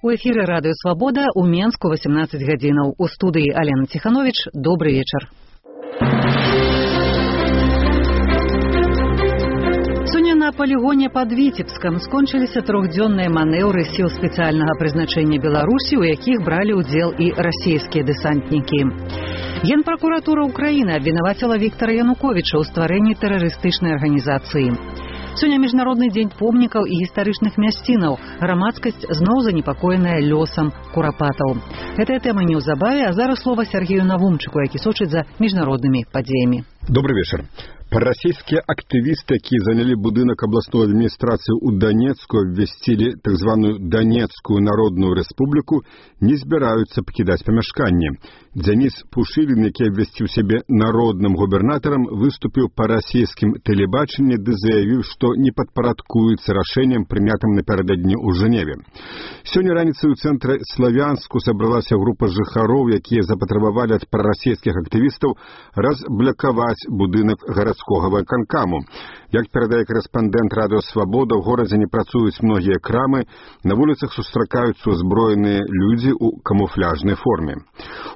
У эфіры радыё «Свабода» у Менску 18 гадзінаў. У студыі Алена Ціхановіч. Добры вечар. Сёння на палігоне пад Віцебскам скончыліся трохдзённыя манеўры сіл спецыяльнага прызначэння Беларусі, у якіх бралі ўдзел і расійскія дэсантнікі. Генпракуратура Украіны абвінаваціла Віктара Януковіча ў стварэнні тэрарыстычнай арганізацыі. Сёння міжнародны дзень помнікаў і гістарычных мясцінаў. Грамадскасць зноў занепакоеная лёсам курапатаў. Гэтая тэма неўзабаве, а зараз слова Сергею Навумчыку, які сочыць за міжнароднымі падзеямі. Добрый вечер. Прарасійскія актывісты, якія занялі будынак абласной адміністрацыі ў Донецку, абвясцілі так званую Донецкую народную рэспубліку, не збіраюцца пакідаць памяшканне. Дзяніс Пушылін, які абвясціў сябе народным губернатарам, выступіў па расійскім тэлебачанні ды заявіў, што не падпарадкуецца рашэннем, прынятым напярэдадні ў Жэневе. Сёння раніцай у цэнтры Славянску сабралася група жыхароў, якія запатрабавалі ад прарасійскіх актывістаў разблакаваць будынак гарадскога выканкаму. Як перадае корэспандэнт радыё «Свабода», у горадзе не працуюць многія крамы, на вуліцах сустракаюцца узброеныя людзі ў камуфляжнай форме.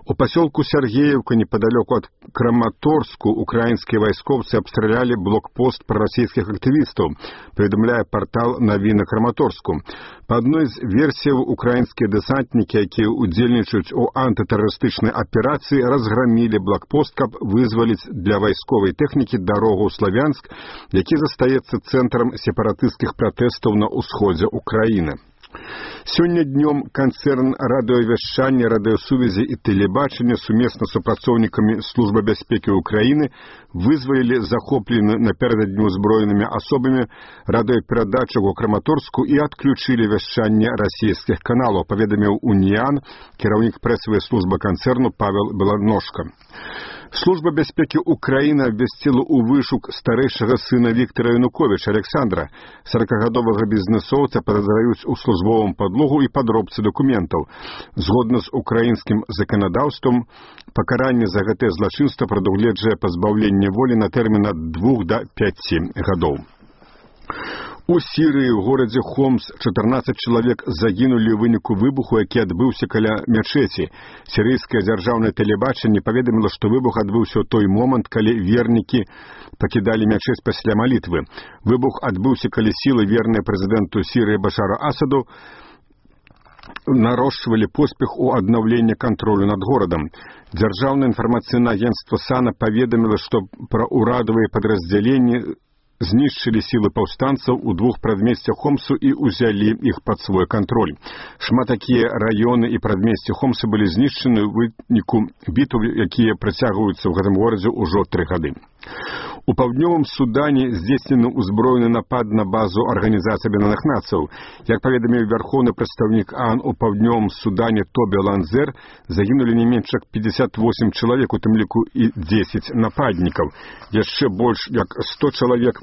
У пасёлку Сергеевка, непадалёку ад Краматорску, украінскія вайскоўцы абстралялі блокпост прарасійскіх актывістаў, паведамляе партал «Навіны Краматорску». Па адной з версіяў, украінскія дэсантнікі, якія удзельнічаюць у антытэрарыстычнай аперацыі, разграмілі блокпост, каб вызваліць для вайсковай тэхнікі дарогу ў Славянск, які застаецца цэнтрам сепаратысцкіх пратэстаў на ўсходзе Украіны. Сёння днём канцэрн радыёвяшчання, радыёсувязі і тэлебачання сумесна з супрацоўнікамі Службы бяспекі Украіны вызвалілі захоплены напярэдадні узброенымі асобамі радыёперадачу ў Краматорску і адключылі вяшчанне расійскіх каналаў, паведаміў Уніян, кіраўнік прэсавай службы канцэрну Павел Беланожка. Служба бяспекі Украіны абвясціла ў вышук старэйшага сына Віктара Януковіча Александра. 40-гадовага бізнэсоўца падазраюць у службовым падлогу і падробцы дакументаў. Згодна з украінскім заканадаўствам, пакаранне за гэтае злачынства прадугледжвае пазбаўленне волі на тэрмін ад 2 да 5 гадоў. У Сірыі ў горадзе Хомс 14 чалавек загінулі ў выніку выбуху, які адбыўся каля мячэці. Сірыйскае дзяржаўнае тэлебачанне паведаміла, што выбух адбыўся ў той момант, калі вернікі пакідалі мячэць пасля малітвы. Выбух адбыўся, калі сілы, верныя прэзідэнту Сірыі Башару Асаду, нарошчвалі поспех у аднаўленні кантролю над горадам. Дзяржаўнае інфармацыйнае агенцтва САНА паведаміла, што пра ўрадавыя падраздзяленні знішчылі сілы паўстанцаў у 2 прадмесцях Хомсу і ўзялі іх пад свой кантроль. Шмат такія раёны і прадмесці Хомса былі знішчаны ў выніку бітаў, якія працягваюцца ў гэтым горадзе ўжо 3 гады. У паўднёвым Судане здзейснены ўзброены напад на базу Арганізацыі Аб'яднаных Нацыяў. Як паведаміў вярхоўны прадстаўнік ААН у паўднёвым Судане Тобі Ланзер, загінулі не менш як 58 чалавек, у тым ліку і 10 нападнікаў. Яшчэ больш як 100 чалавек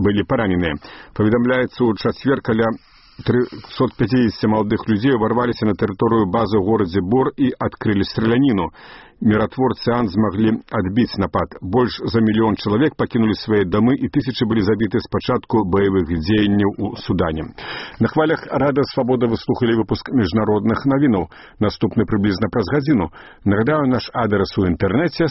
былі параненыя. Паведамляецца, у чацвер каля 350 маладых людзей уварваліся на тэрыторыю базы ў горадзе Бор і адкрылі страляніну. Міратворцы ААН змаглі адбіць напад. Больш за 1 мільён чалавек пакінулі свае дамы і тысячы былі забіты з пачатку баявых дзеянняў у Судане. На хвалях радыё «Свабода» вы слухалі выпуск міжнародных навінаў. Наступны прыблізна праз гадзіну. Нагадаю, наш адрес у інтэрнэце